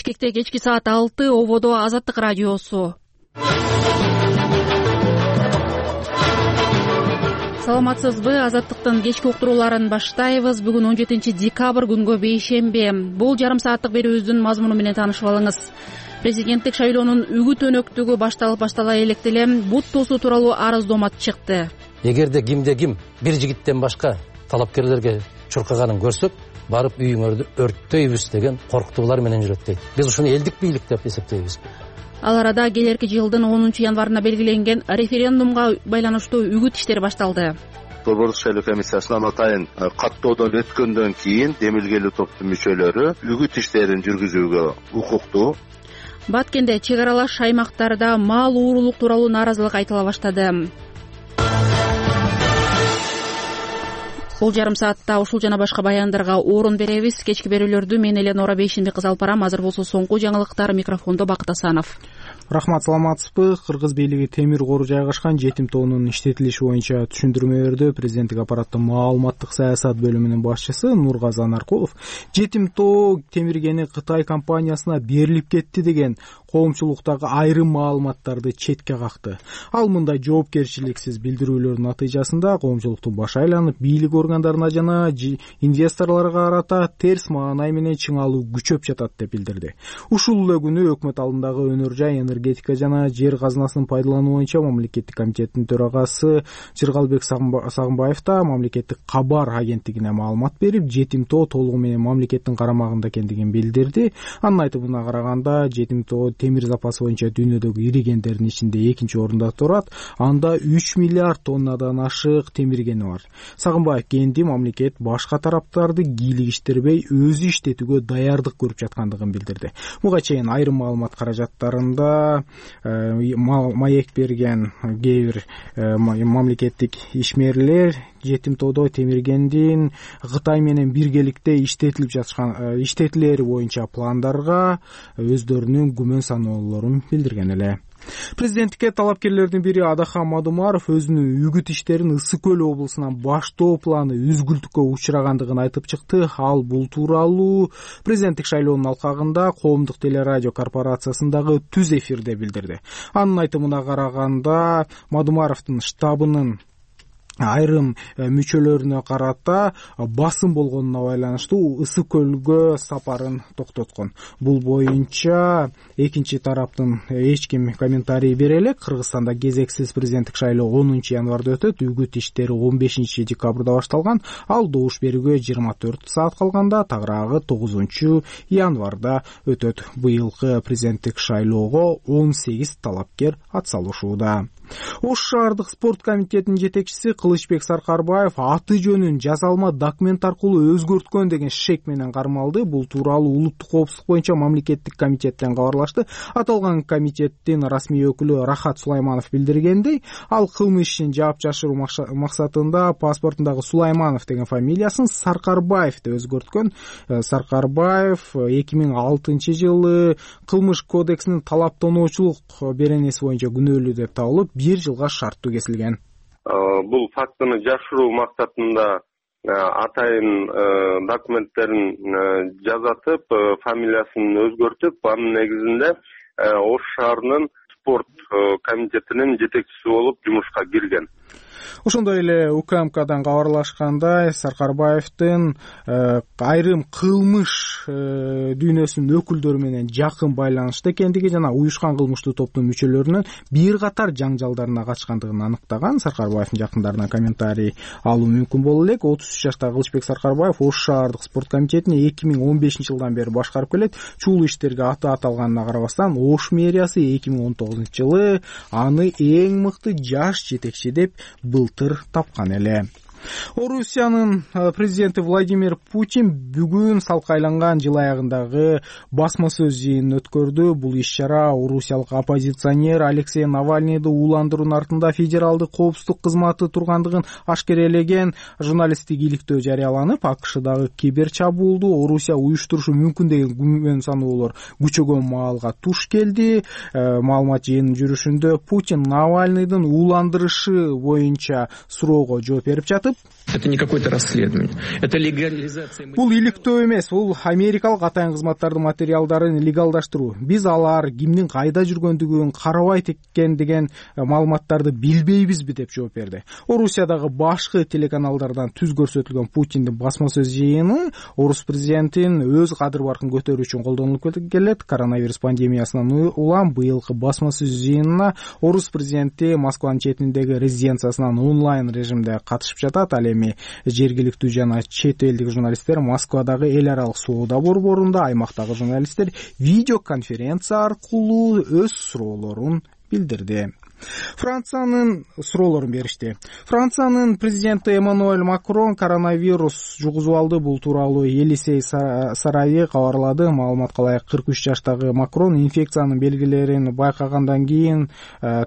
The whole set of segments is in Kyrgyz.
Бишкекте кечки саат 6 ободо Азаттык радиосу. Саламатсызбы? Азаттыктын кечки уктурууларын баштайбыз. Бүгүн 17 декабрь күнгө бейшемби. Бул жарым сааттык берүүбүздүн мазмуну менен таанышып алыңыз. Президенттик шайлоонун үгүт өнөктүгү баштала электе эле бут тосуу тууралуу арыздомат чыкты. Эгерде кимде ким бир жигиттен башка талапкерлерге чуркаганын көрсөк, барып үйүңөрдү өрттөйбүз деген коркутуулар менен жүрөт дейт. Биз ушуну элдик бийлик деп эсептейбиз. Ал арада келерки жылдын 10 январына белгиленген референдумга байланыштуу үгүт иштери башталды. Борбордук шайлоо комиссиясынын атайын каттоодон өткөндөн кийин демилгелүү топтун мүчөлөрү үгүт иштерин жүргүзүүгө укуктуу. Баткенде чек аралаш аймактарда мал уурулук тууралуу нааразылык айтыла баштады. Бул жарым саатта ушул жана башка баяндарга орун беребиз. Кечки берүүлөрдү мен Эленора Бейшенбек кызы алып барам. Азыр болсо соңку жаңылыктар. Микрофондо Бакыт Асанов. Рахмат, саламатсызбы? Кыргыз бийлиги темир кору жайгашкан жетим тоонун иштетилиши боюнча түшүндүрмө берди. Президенттик аппараттын маалыматтык саясат бөлүмүнүн башчысы Нургазан Аркулов жетим тоо темиргени Кытай компаниясына берилип кетти деген коомчулуктагы айрым маалыматтарды четке какты. Ал мындай жоопкерчиликсиз билдирүүлөрдүн натыйжасында коомчулуктун башы айланып, бийлик органдарына жана инвесторлорго карата терс маанай менен чыңалуу күчөп жатат деп билдирди. Ушул эле күнү өкмөт алдындагы өнөр жай, энергетика жана жер казынасын пайдалануу боюнча мамлекеттик комитеттин төрагасы Жыргалбек Сагынбаев да мамлекеттик кабар агенттигине маалымат берип, жетим тоо толугу менен мамлекеттин карамагында экендигин билдирди. Анын айтымына караганда, жетим тоо темир запасы боюнча дүйнөдөгү ири кендердин ичинде 2-орунда турат. Анда 3 миллиард тоннадан ашык темиргени бар. Сагынбаев кенди мамлекет башка тараптарды кийлигиштербей өзү иштетүүгө даярдык көрүп жаткандыгын билдирди. Буга чейин айрым маалымат каражаттарында маек берген кээ бир мамлекеттик ишмерлер жетим тоодо темиргендин Кытай менен биргеликте иштетилери боюнча пландарга өздөрүнүн күмөн саноолорун билдирген эле. Президенттикке талапкерлердин бири Адахан Мадумаров өзүнүн үгүт иштерин Ысык көл облусунан баштоо планы үзгүлтүккө учурагандыгын айтып чыкты. Ал бул тууралуу президенттик шайлоонун алкагында коомдук телерадио корпорациясындагы түз эфирде билдирди. Анын айтымына караганда, Мадумаровдун штабынын айрым мүчөлөрүнө карата басым болгонуна байланыштуу Ысык көлгө сапарын токтоткон. Бул боюнча экинчи тараптын эч ким комментарий бере элек. Кыргызстанда кезексиз президенттик шайлоо 10 январда өтөт. Үгүт иштери 15 декабрда башталган. Ал добуш берүүгө 24 саат калганда тагыраагы 9 январда өтөт. Быйылкы президенттик шайлоого 18 талапкер атсалышууда. Ош шаардык спорт комитетинин жетекчиси Кылычбек Саркарбаев аты жөнүн жазалма документ аркылуу өзгөрткөн деген шек менен кармалды. Бул тууралуу улуттук коопсуздук боюнча мамлекеттик комитеттен кабарлашты. Аталган комитеттин расмий өкүлү Рахат Сулайманов билдиргендей, ал кылмыш ишин жаап жашыруу максатында паспортундагы Сулайманов деген фамилиясын Саркарбаев деп өзгөрткөн. Саркарбаев 2006 жылы кылмыш кодексинин талаптануучулук беренеси боюнча күнөөлүү деп табылып, 1 жылга шарттуу кесилген. Бул фактыны жашыруу максатында атайын документтерин жазатып, фамилиясын өзгөртүп, анын негизинде Ош шаарынын спорт комитетинин жетекчиси болуп жумушка кирген. Ошондой эле УКМКдан кабарлашкандай, Саркарбаевдин айрым кылмыш дүйнөсүнүн өкүлдөрү менен жакын байланышта экендиги жана уюшкан кылмыштуу топтун мүчөлөрүнүн бир катар жаңжалдарына катышкандыгын аныктаган. Саркарбаевдин жакындарынан комментарий алуу мүмкүн боло элек. 33 жаштагы Кылычбек Саркарбаев Ош шаардык спорт комитетин 2015 жылдан бери башкарып келет. Чулуу иштерге аты аталганына карабастан, Ош мэриясы 2019 жылы аны эң мыкты жаш жетекчи деп былтыр тапкан эле. Орусиянын президенти Владимир Путин бүгүн салкайланган жыл аягындагы басма сөз жыйынын өткөрдү. Бул иш-чара орусиялык оппозиционер Алексей Навальныйды ууландыруунун артында федералдык коопсуздук кызматы тургандыгын ашкерелеген журналисттик иликтөө жарыяланып, АКШдагы кибер чабуулду Орусия уюштурушу мүмкүн деген күмөн саноолор күчөгөн маалга туш келди. Маалымат жыйынынын жүрүшүндө Путин Навальныйдын ууландырышы боюнча суроого жооп берип жатып, жатып, это не какое-то расследование, это легализация. Бул иликтөө эмес, бул америкалык атайын кызматтардын материалдарын легалдаштыруу. Биз алар кимдин кайда жүргөндүгүн, карабайт экен деген маалыматтарды билбейбизби деп жооп берди. Орусиядагы башкы телеканалдардан түз көрсөтүлгөн Путиндин басма сөз жыйыны орус президентин өз кадыр баркын көтөрүү үчүн колдонулуп келет. Коронавирус пандемиясынан улам быйылкы басма сөз жыйынына орус президенти Москванын четиндеги резиденциясынан онлайн режимде катышып жатат. Ал эми жергиликтүү жана чет элдик журналисттер Москвадагы эл аралык соода борборунда, аймактагы журналисттер видеоконференция аркылуу өз суроолорун билдирди. Франциянын суроолорун беришти. Франциянын президенти Эммануэль Макрон коронавирус жугузуп алды. Бул тууралуу Елисей сарайы кабарлады. Маалыматка ылайык 43 жаштагы Макрон инфекциянын белгилерин байкагандан кийин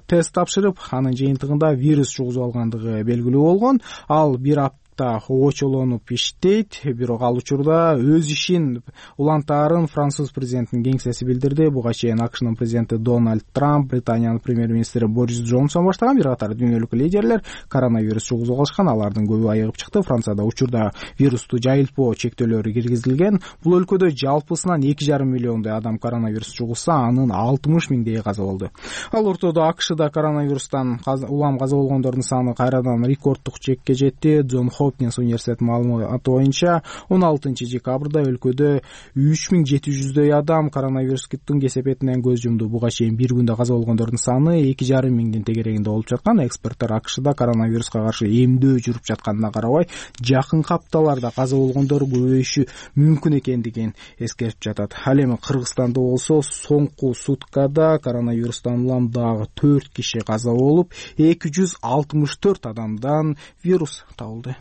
тест тапшырып, анын жыйынтыгында вирус жугузуп алгандыгы белгилүү болгон. Ал бир очолонуп иштейт, бирок ал учурда өз ишин улантаарын француз президентинин кеңсеси билдирди. Буга чейин АКШнын президенти Дональд Трамп, Британиянын премьер-министри Борис Джонсон баштаган бир катар дүйнөлүк лидерлер коронавирус жугузуп алышкан. Алардын көбү айыгып чыкты. Францияда учурда вирусту жайылтпоо чектөөлөрү киргизилген. Бул өлкөдө жалпысынан 2,5 миллиондой адам коронавирус жугузса, анын 60 миңдейи каза болду. Ал ортодо АКШда коронавирустан улам каза болгондордун саны кайрадан рекорддук чекке жетти. Джон Хопкинс университет маалыматы боюнча 16 декабрда өлкөдө 3700дөй адам коронавирустун кесепетинен көз жумду. Буга чейин бир күндө каза болгондордун саны 2,5 миңдин тегерегинде болуп жаткан. Эксперттер АКШда коронавируска каршы эмдөө жүрүп жатканына карабай, жакынкы апталарда каза болгондор көбөйүшү мүмкүн экендигин эскертип жатат. Ал эми Кыргызстанда болсо соңку суткада коронавирустан улам дагы 4 киши каза болуп, 264 адамдан вирус табылды.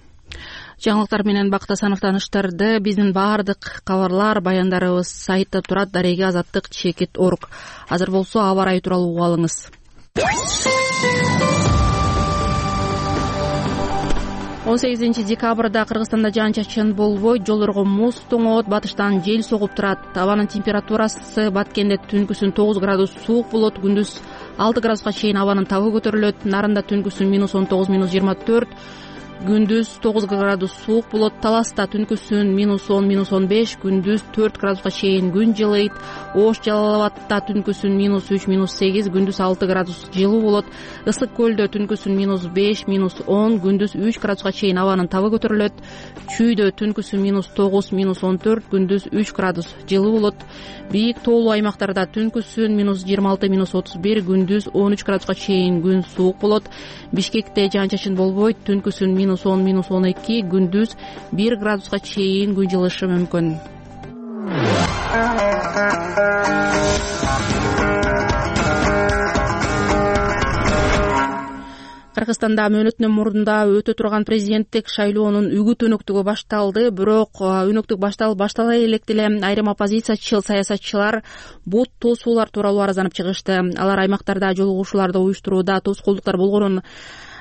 Жаңылыктар менен Бакыт Асанов тааныштырды. Биздин баардык кабарлар, баяндарыбыз сайтта турат. Дареги Азаттык /org. Азыр болсо аба ырайы тууралуу угуп алыңыз. 18 декабрда Кыргызстанда жаан-чачын болбойт, жолдорго муз тоңот, батыштан жел согуп турат. Абанын температурасы Баткенде түнкүсүн 9 градус суук болот, күндүз 6 градуска чейин абанын табы көтөрүлөт. Нарында түнкүсүн -19, -24, күндүз 9 градус суук болот. Таласта түнкүсүн -10, -15, күндүз 4 градуска чейин күн жылыйт. Ош Жалал Абадта түнкүсүн -3, -8, күндүз 6 градус жылуу болот. Ысык көлдө түнкүсүн -5, -10, күндүз 3 градуска чейин абанын табы көтөрүлөт. Чүйдө түнкүсүн -9, -14, күндүз 3 градус жылуу болот. Бийик тоолуу аймактарда түнкүсүн -26, -31, күндүз 13 градуска чейин күн суук болот. Бишкекте жаан-чачын болбойт, түнкүсүн -10, -12, күндүз 1 градуска чейин күн жылышы мүмкүн. Кыргызстанда мөөнөтүнөн мурда өтө турган президенттик шайлоонун үгүт өнөктүгү башталды. Бирок өнөктүк баштала элек деле айрым оппозициячыл саясатчылар бут тосуулар тууралуу арызданып чыгышты. Алар аймактарда жолугушууларды уюштурууда тоскоолдуктар болгонун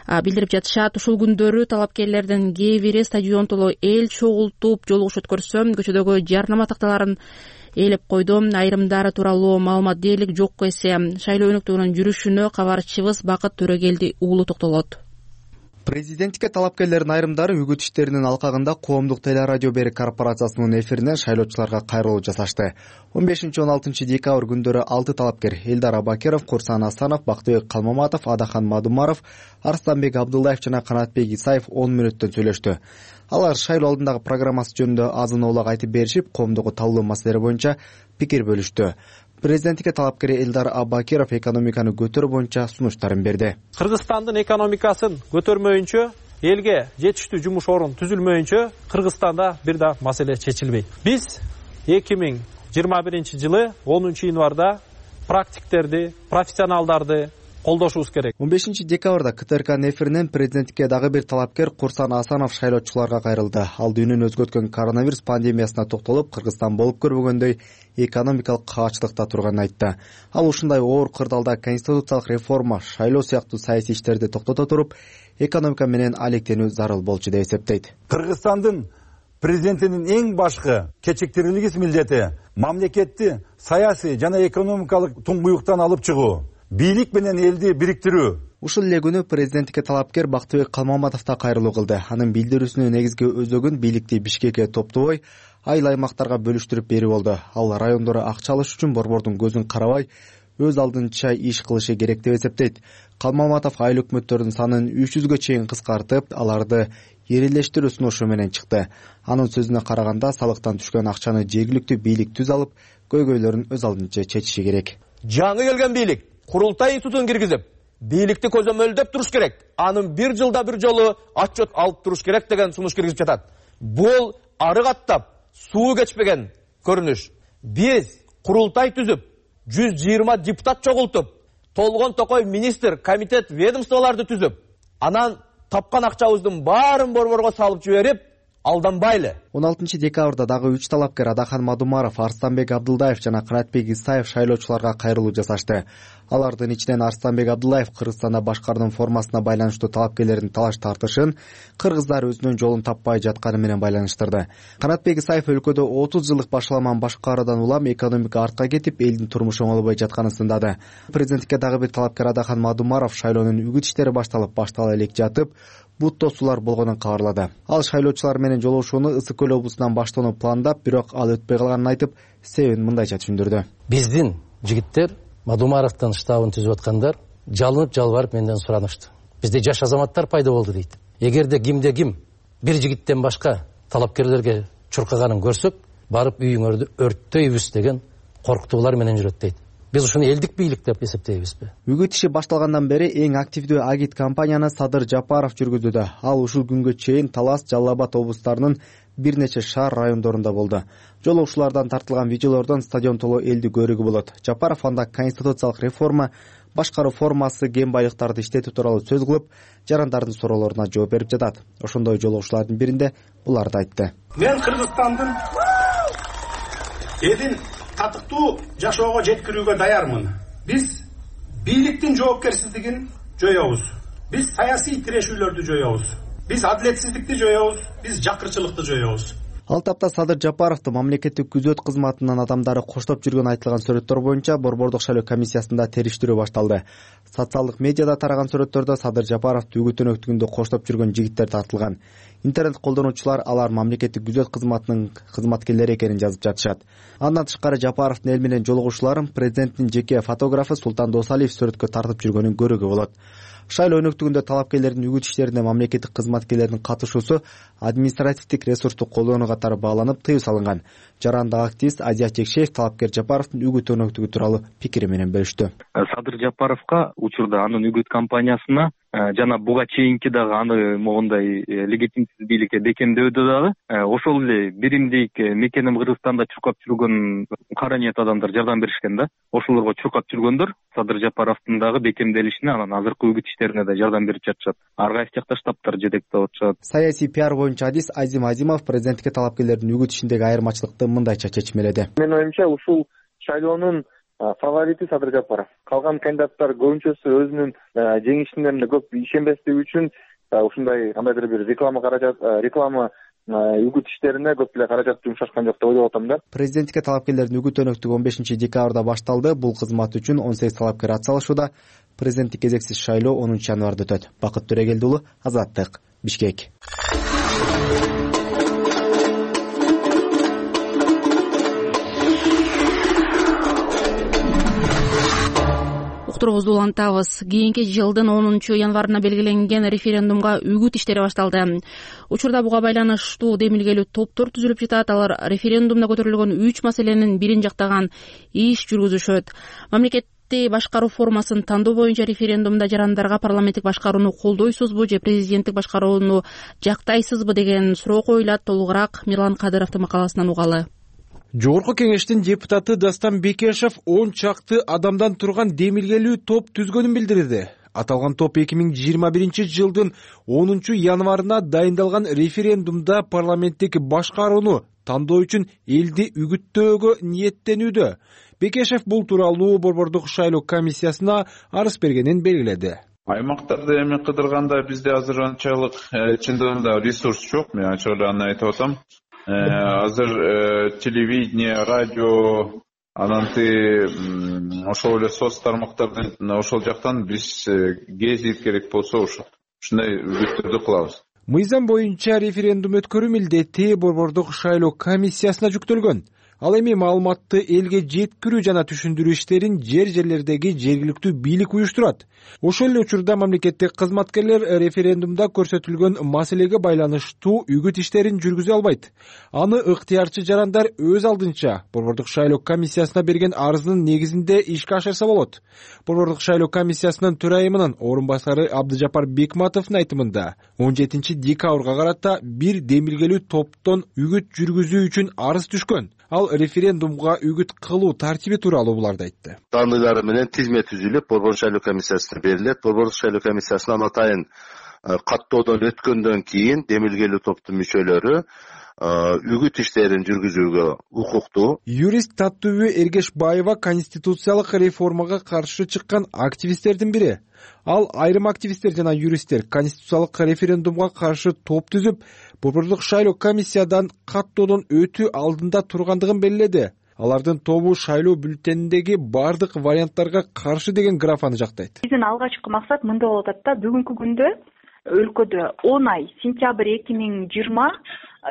билдирип жатышат. Ушул күндөрү талапкерлердин кээ бири стадион толо эл чогултуп жолугуш өткөрсө, көчөдөгү жарнама такталарын ээлеп койду. Айрымдары тууралуу маалымат дээрлик жок эсе. Шайлоо өнөктүгүнүн жүрүшүнө кабарчыбыз Бакыт Төрөгелди уулу токтолот. Президенттикке талапкерлердин айрымдары үгүт иштеринин алкагында Коомдук телерадио берик корпорациясынын эфиринен шайлоочуларга кайрылуу жасашты. 15-16 декабрь күндөрү 6 талапкер Элдар Абакиров, Курсан Асанов, Бактыбек Калмаматов, Адахан Мадумаров, Арстанбек Абдуллаев жана Канатбек Исаев 10 мүнөттөн сүйлөштү. Алар шайлоо алдындагы программасы жөнүндө азын оолак айтып беришип, коомдогу талдоо маселелери боюнча пикир бөлүштү. Президенттикке талапкер Элдар Абакиров экономиканы көтөрүү боюнча сунуштарын берди. Кыргызстандын экономикасын көтөрмөйүнчө, элге жетиштүү жумуш орун түзүлмөйүнчө Кыргызстанда бир да маселе чечилбейт. Биз 2021 жылы 10 январда практиктерди, профессионалдарды колдошубуз керек. 15 декабрда КТРКнын эфиринен президенттикке дагы бир талапкер Курсан Асанов шайлоочуларга кайрылды. Ал дүйнөнү өзгөрткөн коронавирус пандемиясына токтолуп, Кыргызстан болуп көрбөгөндөй экономикалык каачылыкта турганын айтты. Ал ушундай оор кырдаалда конституциялык реформа, шайлоо сыяктуу саясий иштерди токтото туруп, экономика менен алектенүү зарыл болчу деп эсептейт. Кыргызстандын президентинин эң башкы кечиктирилгис милдети мамлекетти саясий жана экономикалык туңгуюктан алып чыгуу, бийлик менен элди бириктирүү, Ушул эле күнү президенттикке талапкер Бактыбек Калмаматов да кайрылуу кылды. Анын билдирүүсүнүн негизги өзөгүн бийликти Бишкекке топтобой, айыл аймактарга бөлүштүрүп берүү болду. Ал райондору акча алыш үчүн борбордун көзүн карабай, өз алдынча иш кылышы керек деп эсептейт. Калмаматов айыл өкмөттөрдүн санын 300гө чейин кыскартып, аларды эрелештирүү сунушу менен чыкты. Анын сөзүнө караганда, салыктан түшкөн акчаны жергиликтүү бийлик түз алып, көйгөйлөрүн өз алдынча чечиши керек. Жаңы келген бийлик курултай институтун киргизип, бийликти көзөмөлдөп туруш керек. Анын бир жылда бир жолу отчет алып туруш керек деген сунуш киргизип жатат. Бул ары каттап суу кечпеген көрүнүш. Биз курултай түзүп, 120 депутат чогултуп, толгон токой министр, комитет, ведомстволарды түзүп, анан тапкан акчабыздын баарын борборго салып жиберип, алданбайлы. 16 декабрда дагы 3 талапкер Адахан Мадумаров, Арстанбек Абдылдаев жана Канатбек Исаев шайлоочуларга кайрылуу жасашты. Алардын ичинен Арстанбек Абдылдаев Кыргызстанда башкарууну формасына байланыштуу талапкерлердин талаш тартышын кыргыздар өзүнүн жолун таппай жатканы менен байланыштырды. Канатбек Исаев өлкөдө 30 жылдык башаламан башкаруудан улам экономика артка кетип, элдин турмушу оңолбой жатканын сындады. Президенттикке дагы бир талапкер Адахан Мадумаров шайлоонун үгүт иштери баштала элек жатып, бут тосуулар болгонун кабарлады. Ал шайлоочулар менен жолугушууну Ысык Көл облусунан баштоону пландап, бирок ал өтпөй калганын айтып, себебин мындайча түшүндүрдү. Биздин жигиттер Мадумаровдун штабын түзүп аткандар жалынып жалбарып менден суранышты. Бизде жаш азаматтар пайда болду дейт. Эгерде ким бир жигиттен башка талапкерлерге чуркаганын көрсөк, барып үйүңөрдү өрттөйбүз деген коркутуулар менен жүрөт дейт. Биз ушуну элдик бийлик деп эсептейбизби? Үгүт иши башталгандан бери эң активдүү агит кампанияны Садыр Жапаров жүргүздү. Ал ушул күнгө чейин Талас, Жалал Абад облустарынын бир нече шаар райондорунда болду. Жолугушуулардан тартылган видеолордон стадион толо элди көрүүгө болот. Жапаров анда конституциялык реформа, башкаруу формасы, кен байлыктарды иштетүү тууралуу сөз кылып, жарандардын суроолоруна жооп берип жатат. Ошондой жолугушуулардын биринде буларды айтты. Мен Кыргызстандын элин татыктуу жашоого жеткирүүгө даярмын. Биз бийликтин жоопкерсиздигин жоёбуз. Биз саясий тирешүүлөрдү жоёбуз. Биз адилетсиздикти жоёбуз. Биз жакырчылыкты жоёбуз. Ал тапта Садыр Жапаровду мамлекеттик күзөт кызматынын адамдары коштоп жүргөн айтылган сүрөттөр боюнча борбордук шайлоо комиссиясында териштирүү башталды. Социалдык медиада тараган сүрөттөрдө Садыр Жапаровду үгүт өнөктүгүндө коштоп жүргөн жигиттер тартылган. Интернет колдонуучулар алар мамлекеттик күзөт кызматынын кызматкерлери экенин жазып жатышат. Андан тышкары Жапаровдун эл менен жолугушууларын президенттин жеке фотографы Султан Досалиев сүрөткө тартып жүргөнүн көрүүгө болот. Шайлоо өнөктүгүндө талапкерлердин үгүт иштерине мамлекеттик кызматкерлердин катышуусу административдик ресурсту колдонуу катары бааланып, тыюу салынган. Жарандык активист Азия Чекшеев талапкер Жапаровдун үгүт өнөктүгү тууралуу пикири менен бөлүштү. Садыр Жапаровго учурда анын үгүт кампаниясына жана буга чейинки дагы аны могундай легитимсиз бийликке бекемдөөдө дагы ошол эле биримдик мекеним Кыргызстанда чуркап жүргөн кара ниет адамдар жардам беришкен да. Ошолорго чуркап жүргөндөр Садыр Жапаровдун дагы бекемделишине, анан азыркы үгүт иштерине да жардам берип жатышат. Ар кайсы жакта штабтар жетектеп атышат. Саясий пиар боюнча адис Азим Азимов президенттикке талапкерлердин үгүт ишиндеги айырмачылыкты мындайча чечмеледи. Менин оюмча ушул шайлоонун фаворити Садыр Жапаров. Калган кандидаттар көбүнчөсү өзүнүн жеңишине көп ишенбестиги үчүн ушундай кандайдыр бир реклама үгүт иштерине көп эле каражат жумшашкан жок деп ойлоп атам да. Президенттикке талапкерлердин үгүт өнөктүгү 15 декабрда башталды. Бул кызмат үчүн 18 талапкер ат салышууда. Президенттик кезексиз шайлоо 10 январда өтөт. Бакыт Төрөгелди уулу, Азаттык, Бишкек. Уктуруубузду улантабыз. Кийинки жылдын 10 январына белгиленген референдумга үгүт иштери башталды. Учурда буга байланыштуу демилгелүү топтор түзүлүп жатат. Алар референдумда көтөрүлгөн 3 маселенин бирин жактаган иш жүргүзүшөт. Мамлекетти башкаруу формасын тандоо боюнча референдумда жарандарга парламенттик башкарууну колдойсузбу же президенттик башкарууну жактайсызбы деген суроо коюлат. Толугураак Мирлан Кадыровдун макаласынан угалы. Жогорку кеңештин депутаты Дастан Бекешев 10 чакты адамдан турган демилгелүү топ түзгөнүн билдирди. Аталган топ 2021 жылдын 10 январына дайындалган референдумда парламенттик башкарууну тандоо үчүн элди үгүттөөгө ниеттенүүдө. Бекешев бул тууралуу борбордук шайлоо комиссиясына арыз бергенин белгиледи. Аймактарды эми кыдырганда бизде азыр анчалык чындыгында ресурс жок, мен ачык эле аны айтып атам. Азыр телевидение, радио, анан ошол эле соц тармактардын ошол жактан биз гезит керек болсо ушундай үгүттөрдү кылабыз. Мыйзам боюнча референдум өткөрүү милдети Борбордук шайлоо комиссиясына жүктөлгөн. Ал эми маалыматты элге жеткирүү жана түшүндүрүү иштерин жерлердеги жергиликтүү бийлик уюштурат. Ошол эле учурда мамлекеттик кызматкерлер референдумда көрсөтүлгөн маселеге байланыштуу үгүт иштерин жүргүзө албайт. Аны ыктыярчы жарандар өз алдынча Борбордук шайлоо комиссиясына берген арыздын негизинде ишке ашырса болот. Борбордук шайлоо комиссиясынын төрайымынын орун басары Абдыжапар Бекматовдун айтымында 17 декабрга карата бир демилгелүү топтон үгүт жүргүзүү үчүн арыз түшкөн. Ал референдумга үгүт кылуу тартиби тууралуу буларды айтты. Таандыйлары менен тизме түзүлүп, Борбордук шайлоо комиссиясына берилет. Борбордук шайлоо комиссиясынан атайын каттоодон өткөндөн кийин демилгелүү топтун мүчөлөрү үгүт иштерин жүргүзүүгө укуктуу. Юрист Таттыбү Эргешбаева конституциялык реформага каршы чыккан активисттердин бири. Ал айрым активисттер жана юристтер конституциялык референдумга каршы топ түзүп, Борбордук шайлоо комиссиядан каттоодон өтүү алдында тургандыгын белгиледи. Алардын тобу шайлоо бюллетениндеги бардык варианттарга каршы деген графаны жактайт. Биздин алгачкы максат мындай болуп атат да, бүгүнкү күндө өлкөдө 10 ай сентябрь 2020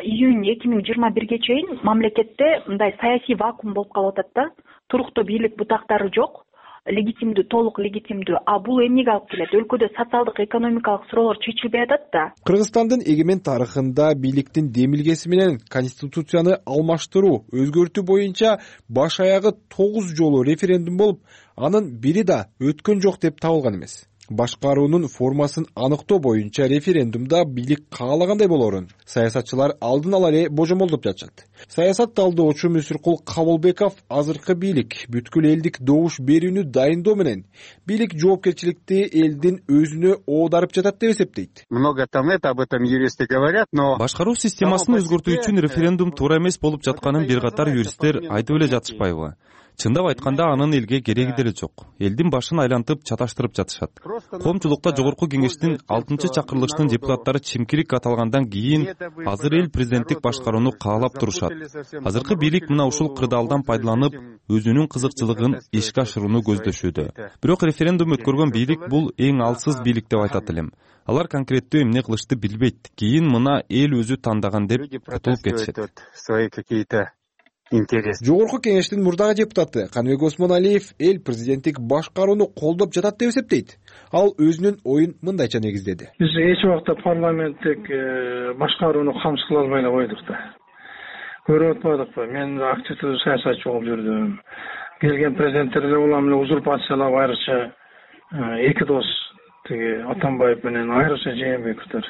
июнь 2021ге чейин мамлекетте мындай саясий вакуум болуп калып атат да. Туруктуу бийлик бутактары жок, легитимдүү, толук легитимдүү. А бул эмнеге алып келет? Өлкөдө социалдык, экономикалык суроолор чечилбей атат да. Кыргызстандын эгемен тарыхында бийликтин демилгеси менен конституцияны алмаштыруу, өзгөртүү боюнча баш аягы 9 жолу референдум болуп, анын бири да өткөн жок деп табылган эмес. Башкаруунун формасын аныктоо боюнча референдумда бийлик каалагандай болорун саясатчылар алдын ала эле божомолдоп жатышат. Саясат талдоочу Мүсүркул Кабылбеков азыркы бийлик бүткүл элдик добуш берүүнү дайындоо менен бийлик жоопкерчиликти элдин өзүнө оодарып жатат деп эсептейт. Много там об этом юристы говорят, но башкаруу системасын өзгөртүү үчүн референдум туура эмес болуп жатканын бир катар юристтер айтып эле жатышпайбы? Чындап айтканда анын элге кереги деле жок. Элдин башын айлантып чаташтырып жатышат. Коомчулукта жогорку кеңештин 6-чакырылыштын депутаттары чимкирик аталгандан кийин азыр эл президенттик башкарууну каалап турушат. Азыркы бийлик мына ушул кырдаалдан пайдаланып, өзүнүн кызыкчылыгын ишке ашырууну көздөшүүдө. Бирок референдум өткөргөн бийлик бул эң алсыз бийлик деп айтат элем. Алар конкреттүү эмне кылышты билбейт. Кийин мына эл өзү тандаган деп утулуп кетишет. Жогорку кеңештин мурдагы депутаты Каныбек Осмоналиев эл президенттик башкарууну колдоп жатат деп эсептейт. Ал өзүнүн оюн мындайча негиздеди. Биз эч убакта парламенттик башкарууну камсыз кыла албай эле койдук да. Көрүп атпадыкпы? Мен активдүү саясатчы болуп жүрдүм. Келген президенттерге улам эле узурпациялап айрыкча эки дос тиги Атамбаев менен айрыкча Жээнбековдор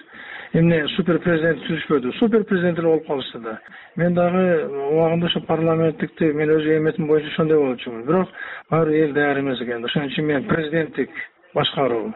эмне супер президент түзүшпөдү, супер президент болуп калышты да. Мен дагы убагында ошо парламенттикти мен өз эметим боюнча ошондой болчумун. Бирок баары эл даяр эмес экен. Ошон үчүн мен президенттик башкаруу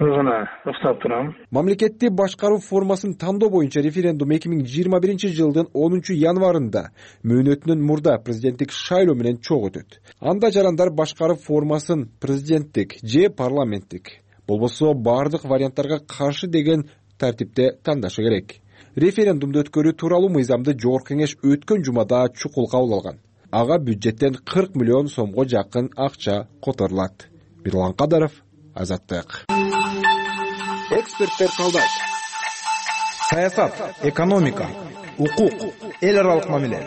гана ыктап турам. Мамлекетти башкаруу формасын тандоо боюнча референдум 2021 жылдын 10 январында мөөнөтүнөн мурда президенттик шайлоо менен чогуу өтөт. Анда жарандар башкаруу формасын президенттик же парламенттик болбосо бардык варианттарга каршы деген тартипте тандашы керек. Референдумду өткөрүү тууралуу мыйзамды жогорку кеңеш өткөн жумада чукул кабыл алган. Ага бюджеттен 40 миллион сомго жакын акча которулат. Бирлан Кадаров, Азаттык. Эксперттер талдайт. Саясат, экономика, укук, эл аралык мамиле,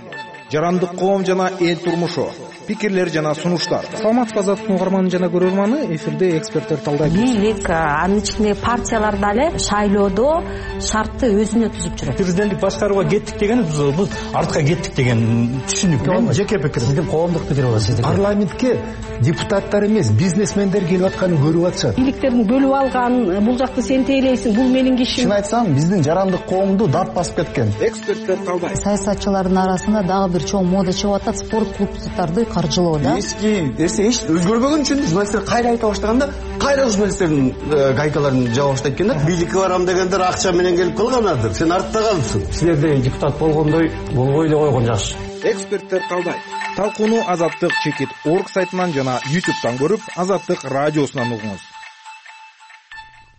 жарандык коом жана эл турмушу, пикирлер жана сунуштар. Саламатсызбы Азаттыктын угарманы жана көрөрманы, эфирде эксперттер талдайт. Бийлик, анын ичинде партиялар дале шайлоодо шартты өзүнө түзүп жүрөт. Президенттик башкарууга кеттик деген бул артка кеттик деген түшүнүк. Мен жеке пикирим. Сиздин коомдук пикир бар. Парламентке депутаттар эмес, бизнесмендер келип атканын көрүп атышат. Бийликтердин бөлүп алган, бул жакты сен тейлейсиң, бул менин кишим. Чын айтсам, биздин жарандык коомду дат басып кеткен. Эксперттер талдайт. Саясатчылардын арасында дагы бир чоң мода чыгып атат, спорт клубдарды каржылоо да. Эски нерсе эч өзгөрбөгөн үчүн журналисттер кайра айта баштаганда, кайра журналисттердин гайкаларын жаба баштайт экен да. Бийликке барам дегендер акча менен келип калганадыр. Сен артта калыпсың. Силерде депутат болгондой болбой эле койгон жакшы. Эксперттер талдайт. Талкууну Азаттык чекит орг сайтынан жана YouTube'дан көрүп, Азаттык радиосунан угуңуз.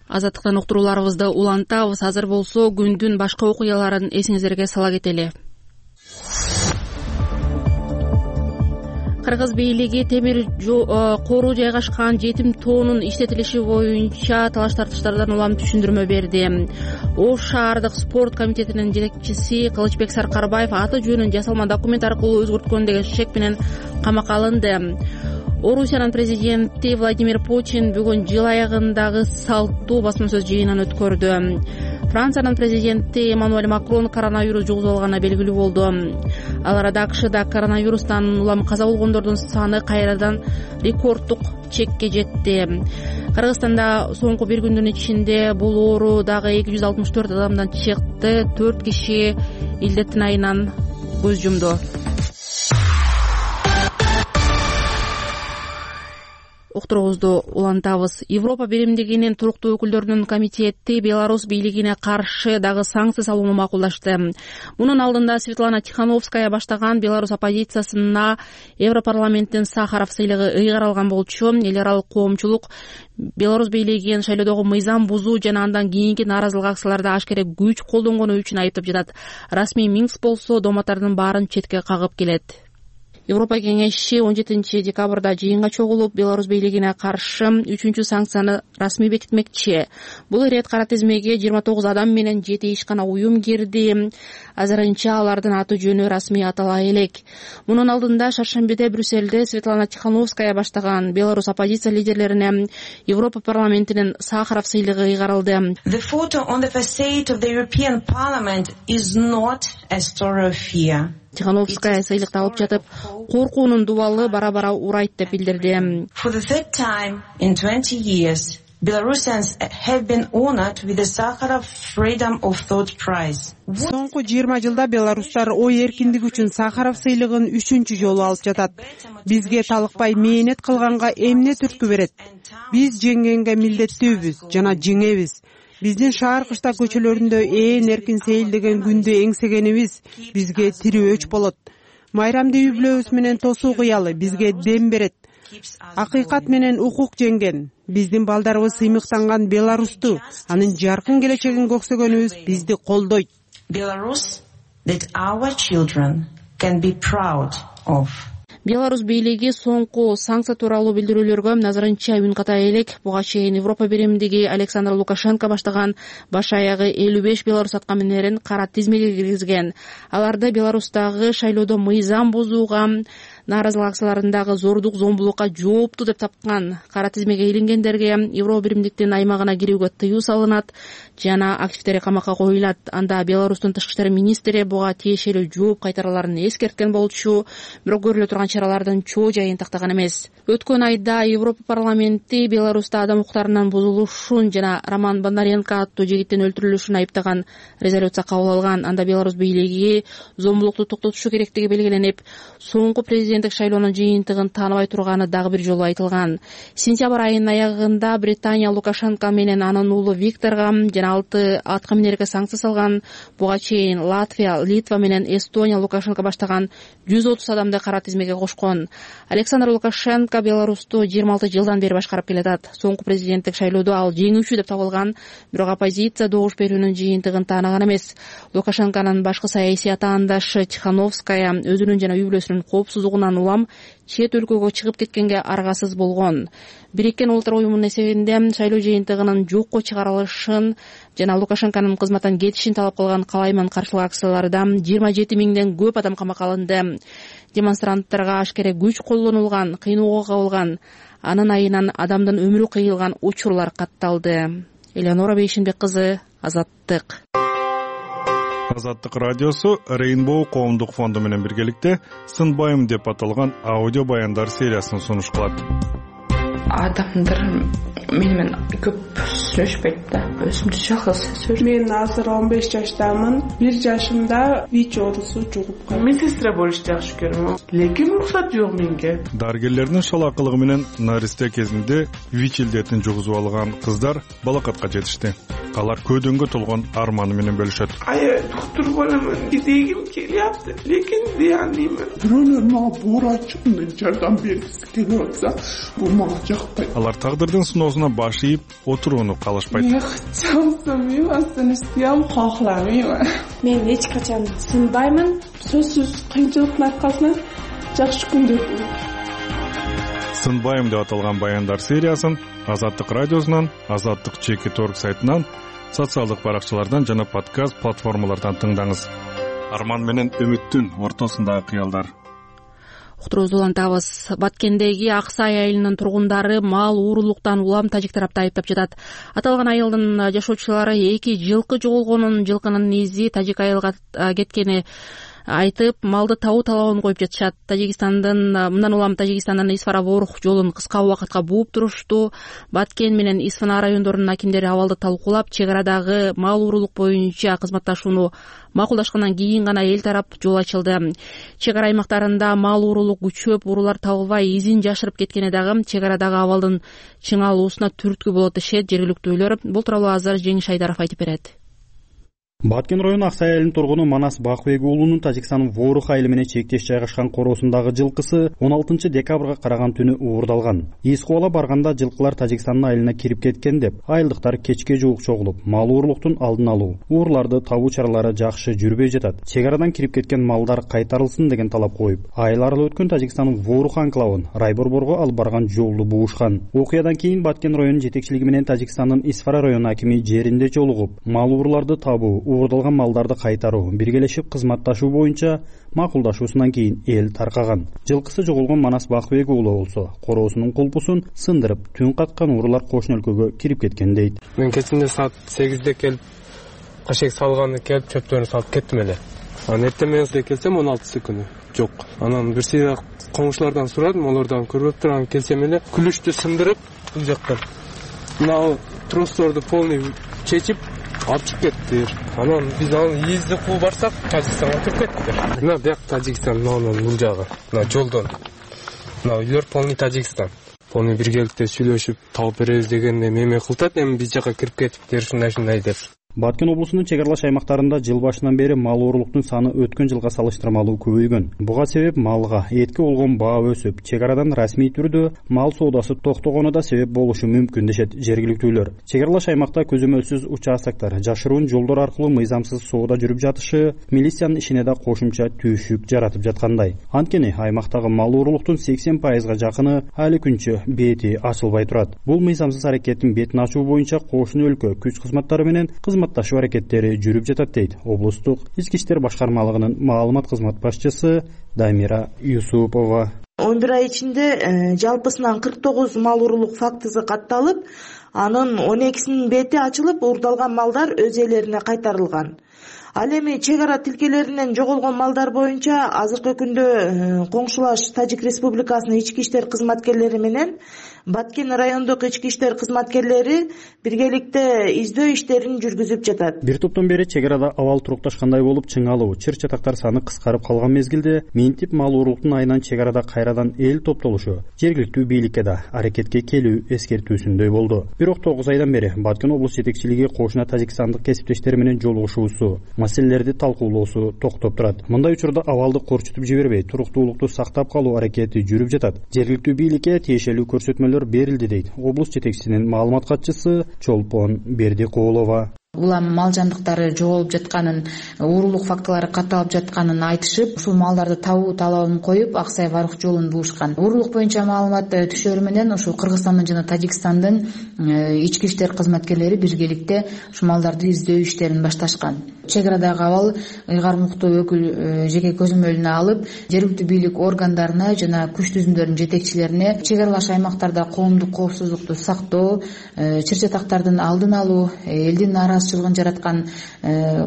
Азаттыктан уктурууларыбызды улантабыз. Азыр болсо күндүн башка окуяларын эсиңиздерге сала кетели. Кыргыз бийлиги темир кору жайгашкан жетим тоонун иштетилиши боюнча талаш тартыштардан улам түшүндүрмө берди. Ош шаардык спорт комитетинин жетекчиси Кылычбек Саркарбаев аты жөнүн жасалма документ аркылуу өзгөрткөн деген шек менен камакка алынды. Орусиянын президенти Владимир Путин бүгүн жыл аягындагы салттуу басма сөз жыйынын өткөрдү. Франциянын президенти Эммануэль Макрон коронавирус жугузуп алганына белгилүү болду. Ал арада АКШда коронавирустан улам каза болгондордун саны кайрадан рекорддук чекке жетти. Кыргызстанда соңку бир күндүн ичинде бул оору дагы 264 адамдан чыкты. 4 киши илдеттин айынан көз жумду. Окторуңузду улантабыз. Европа биримдигинин туруктуу өкүлдөрүнүн комитети Беларусь бийлигине каршы дагы санкция салууну макулдашты. Мунун алдында Светлана Тихановская баштаган Беларусь оппозициясына Европарламенттин Сахаров сыйлыгы ыйгарылган болчу. Эл аралык коомчулук Беларусь бийлигин шайлоодогу мыйзам бузуу жана андан кийинки нааразылык акцияларда ашкере күч колдонгону үчүн айыптап жатат. Расмий Минск болсо дооматтардын баарын четке кагып келет. Европа кеңеши 17 декабрда жыйынга чогулуп, Беларусь бийлигине каршы 3-чү санкцияны расмий бекитмекчи. Бул ирет кара тизмеге 29 адам менен 7 ишкана уюм кирди. Азырынча алардын аты жөнү расмий атала элек. Мунун алдында шаршембиде Брюссельде Светлана Тихановская баштаган Беларусь оппозиция лидерлерине Европа парламентинин Сахаров сыйлыгы ыйгарылды. The photo on the facade of the European Parliament is not a story of fear. Тихановская сыйлыкты алып жатып, коркуунун дубалы бара-бара урайт деп билдирди. For the third time in 20 years, Belarusians have been honored with the Sakharov Freedom of Thought Prize. Соңку 20 жылда беларустар ой эркиндиги үчүн Сахаров сыйлыгын 3-чү жолу алып жатат. Бизге талыкпай мээнет кылганга эмне түрткү берет? Биз жеңгенге милдеттүүбүз жана жеңебиз. Биздин шаар кышта көчөлөрүндө ээн эркин сейилдеген күндү эңсегенибиз бизге тирүү өч болот. Майрамды үй бүлөбүз менен тосуу кыялы бизге дем берет. Акыйкат менен укук жеңген. Биздин балдарыбыз сыймыктанган Беларусту, анын жаркын келечегин көксөгөнүбүз бизди колдойт. Belarus that our children can be proud of. Беларусь бийлиги соңку санкция тууралуу билдирүүлөргө назарынча үн ката элек. Буга чейин Европа биримдиги Александр Лукашенко баштаган баш аягы 55 белорус аткаминерин кара тизмеге киргизген. Аларды Беларустагы шайлоодо мыйзам бузууга, нааразылык акцияларындагы зордук зомбулукка жооптуу деп тапкан. Кара тизмеге илингендерге Европа биримдиктин аймагына кирүүгө тыюу салынат жана активдери камакка коюлат. Анда Беларустун тышкы иштер министри буга тиешелүү жооп кайтараларын эскерткен болчу, бирок көрүлө турган чаралардын чоо жайын тактаган эмес. Өткөн айда Европа парламенти Беларуста адам укуктарынын бузулушун жана Роман Бондаренко аттуу жигиттин өлтүрүлүшүн айыптаган резолюция кабыл алган. Анда Беларусь бийлиги зомбулукту токтотушу керектиги белгиленип, соңку президенттик шайлоонун жыйынтыгын тааныбай турганы дагы бир жолу айтылган. Сентябрь айынын аягында Британия Лукашенко менен анын уулу Викторго жана 6 аткаминерге санкция салган. Буга чейин Латвия, Литва менен Эстония Лукашенко баштаган 130 адамды кара тизмеге кошкон. Александр Лукашенко Беларусту 26 жылдан бери башкарып келатат. Соңку президенттик шайлоодо ал жеңүүчү деп табылган, бирок оппозиция добуш берүүнүн жыйынтыгын таанаган эмес. Лукашенконун башкы саясий атаандашы Тихановская өзүнүн жана үй бүлөсүнүн коопсуздугунан улам чет өлкөгө чыгып кеткенге аргасыз болгон. Бириккен Улуттар уюмунун эсебинде шайлоо жыйынтыгынын жокко чыгарылышын жана Лукашенконун кызматтан кетишин талап кылган калайман каршылык акцияларда 27 миңден көп адам камакка алынды. Демонстранттарга ашкере күч колдонулган, кыйноого кабылган, анын айынан адамдын өмүрү кыйылган учурлар катталды. Элеонора Бейшенбек кызы, Азаттык. Азаттык радиосу Rainbow коомдук фонду менен биргеликте Сынбайым деп аталган аудио баяндар сериясын сунуш кылат. Адамдар менен көп сүйлөшпөйт да, өзүмдү жалгыз сезем. Мен азыр 15 жаштамын. 1 жашымда ВИЧ оорусу жугуп калды. Медсестра болушты жакшы көрөм. Лекин уруксат жок менге. Дарыгерлердин шалакылыгы менен наристе кезинде ВИЧ илдетин жугузуп алган кыздар балакатка жетишти. Алар көдөнгө толгон арманы менен бөлүшөт. Доктор боламын дегим келиапты, лекин дияныймын. Бирөөлөр мага буурачымды жардам бергиси келип атса, бул мага жакпайт. Алар тагдырдын сыноосуна баш ийип, отурууну калышпайт. Чамсамын, астын кохламайм. Мен эч качан сынбаймын. Сөзсүз кыйынчылыктын аркасынан жакшы күндөр болот. Сынбайм деп аталган баяндар сериясын Азаттык радиосунан, Азаттык /org сайтынан, социалдык баракчалардан жана подкаст платформалардан тыңдаңыз. Арман менен үмүттүн ортосундагы кыялдар. Уктуруубузду улантабыз. Баткендеги Ак Сай айылынын тургундары мал уурулуктан улам тажик тарапты айыптап жатат. Аталган айылдын жашоочулары 2 жылкы жоголгонун, жылкынын изи тажик айылга кеткени айтып, малды табуу талабын коюп жатышат. Мындан улам Тажикстандын Исфара-Ворух жолун кыска убакытка бууп турушту. Баткен менен Исфана райондорунун акимдери абалды талкуулап, чек арадагы мал уурулук боюнча кызматташууну макулдашкандан кийин гана эл тарап жол ачылды. Чек ара аймактарында мал уурулук күчөп, уурулар табылбай изин жашырып кеткени дагы чек арадагы абалдын чыңалуусуна түрткү болот дешет жергиликтүүлөр. Бул тууралуу азыр Жеңиш Айдаров айтып берет. Баткен району Ак Сай айылынын тургуну Манас Бакыбек уулунун Тажикстандын Ворух айылы менен чектеш жайгашкан короосундагы жылкысы 16 декабрга караган түнү уурдалган. Из кубала барганда жылкылар Тажикстандын айылына кирип кеткен деп, айылдыктар кечке жуук чогулуп, мал уурулуктун алдын алуу, уурларды табуу чаралары жакшы жүрбөй жатат. Чек арадан кирип кеткен малдар кайтарылсын деген талап коюп, айыл аралуу өткөн Тажикстандын Ворух анклавын Райборборго алып барган жолду буушкан. Окуядан кийин Баткен районунун жетекчилиги менен Тажикстандын Исфара району акими жеринде жолугуп, мал ууруларды табуу, уурдалган малдарды кайтаруу, биргелешип кызматташуу боюнча макулдашуусунан кийин эл таркаган. Жылкысы жоголгон Манас Бакыбек уулу болсо, короосунун кулпусун сындырып, түн каткан уурулар кошуна өлкөгө кирип кеткен дейт. Мен кечинде саат 8де келип, кашек салганды келип, чөптөрүн салып кеттим эле. Анан эртең менен келсем 16 күнү жок. Анан бир сыйра коңшулардан сурадым, олордан көрбөп турам, келсем эле күлүштү сындырып, бул жактан мына тросторду полный чечип алып чыгып кеттир. Анан биз аны изди кууп барсак, Тажикстанга кирип кеттир. Мына бияк Тажикстан, мына бул жагы, мына жолдон. Мына үйлөр полный Тажикстан. Полный биргеликте сүйлөшүп, табып беребиз дегенде меме кылтат, эми биз жака кирип кетиптир, ушундай деп. Баткен облусунун чек аралаш аймактарында жыл башынан бери мал уурулуктун саны өткөн жылга салыштырмалуу көбөйгөн. Буга себеп малга, этке болгон баа өсүп, чек арадан расмий түрдө мал соодасы токтогону да себеп болушу мүмкүн дешет жергиликтүүлөр. Чек аралаш аймакта көзөмөлсүз участоктор, жашыруун жолдор аркылуу мыйзамсыз соода жүрүп жатышы милициянын ишине да кошумча түйшүк жаратып жаткандай. Анткени аймактагы мал уурулуктун 80% жакыны али күнчө бети ачылбай турат. Бул мыйзамсыз аракеттин бетин ачуу боюнча кошуна өлкө күч кызматтары менен кызматташуу аракеттери жүрүп жатат дейт облустук ички иштер башкармалыгынын маалымат кызмат башчысы Дамира Юсупова. 11 ай ичинде жалпысынан 49 мал уурулук фактысы катталып, анын 12синин бети ачылып, уурдалган малдар өз ээлерине кайтарылган. Ал эми чек ара тилкелеринен жоголгон малдар боюнча азыркы күндө коңшулаш Тажик Республикасынын ички иштер кызматкерлери менен Баткен райондук ички иштер кызматкерлери биргеликте издөө иштерин жүргүзүп жатат. Бир топтон бери чек арада абал турукташкандай болуп, чыңалуу, чыр-чатактар саны кыскарып калган мезгилде минтип мал уурулуктун айынан чек арада кайрадан эл топтолушу жергиликтүү бийликке да аракетке келүү эскертүүсүндөй болду. Бирок 9 айдан бери Баткен облус жетекчилиги кошуна тажикстандык кесиптештери менен жолугушуусу, маселелерди талкуулоосу токтоп турат. Мындай учурда абалды корчутуп жибербей, туруктуулукту сактап калуу аракети жүрүп жатат. Жергиликтүү бийликке тиешелүү көрсөтмөлөр берилди дейт облус жетекчисинин маалымат катчысы Чолпон Бердикулова. Улам мал жандыктары жоголуп жатканын, уурулук фактылары катталып жатканын айтышып, ушул малдарды табуу талабын коюп, Ак Сай Ворух жолун буушкан. Уурулук боюнча маалымат түшөрү менен ушул Кыргызстандын жана Тажикстандын ички иштер кызматкерлери биргеликте ушул малдарды издөө иштерин башташкан. Чек арадагы абал ыйгарым укуктуу өкүл жеке көзөмөлүнө алып, жергиликтүү бийлик органдарына жана күч түзүмдөрдүн жетекчилерине чек аралаш аймактарда коомдук коопсуздукту сактоо, чыр-чатактардын алдын алуу, элдин нараазычылыгын жараткан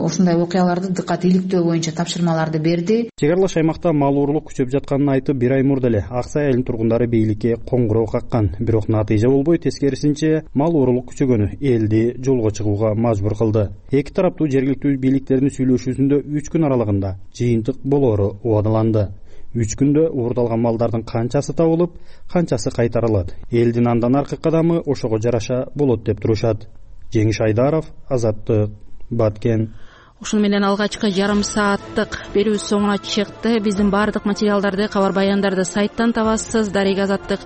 ушундай окуяларды дыккат иликтөө боюнча тапшырмаларды берди. Чек аралаш аймакта мал уурулук күчөп жатканын айтып, 1 ай мурда эле Ак Сай айылынын тургундары бийликке коңгуроо каккан. Бирок натыйжа болбой, тескерисинче мал уурулук күчөгөнү элди жолго чыгууга мажбур кылды. Эки тараптуу жергиликтүү бийликтердин сүйлөшүүсүндө 3 күн аралыгында жыйынтык болоору убадаланды. 3 күндө уурдалган малдардын канчасы табылып, канчасы кайтарылат. Элдин андан аркы кадамы ошого жараша болот деп турушат. Жеңиш Айдаров, Азаттык, Баткен. Ушуну менен алгачкы жарым сааттык берүүбүз соңуна чыкты. Биздин баардык материалдарды, кабар баяндарды сайттан табасыз. Дарек Азаттык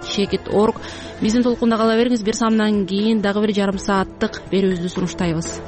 /org. Биздин толкунда кала бериңиз. Бир самдан кийин дагы бир жарым сааттык берүүбүздү сунуштайбыз.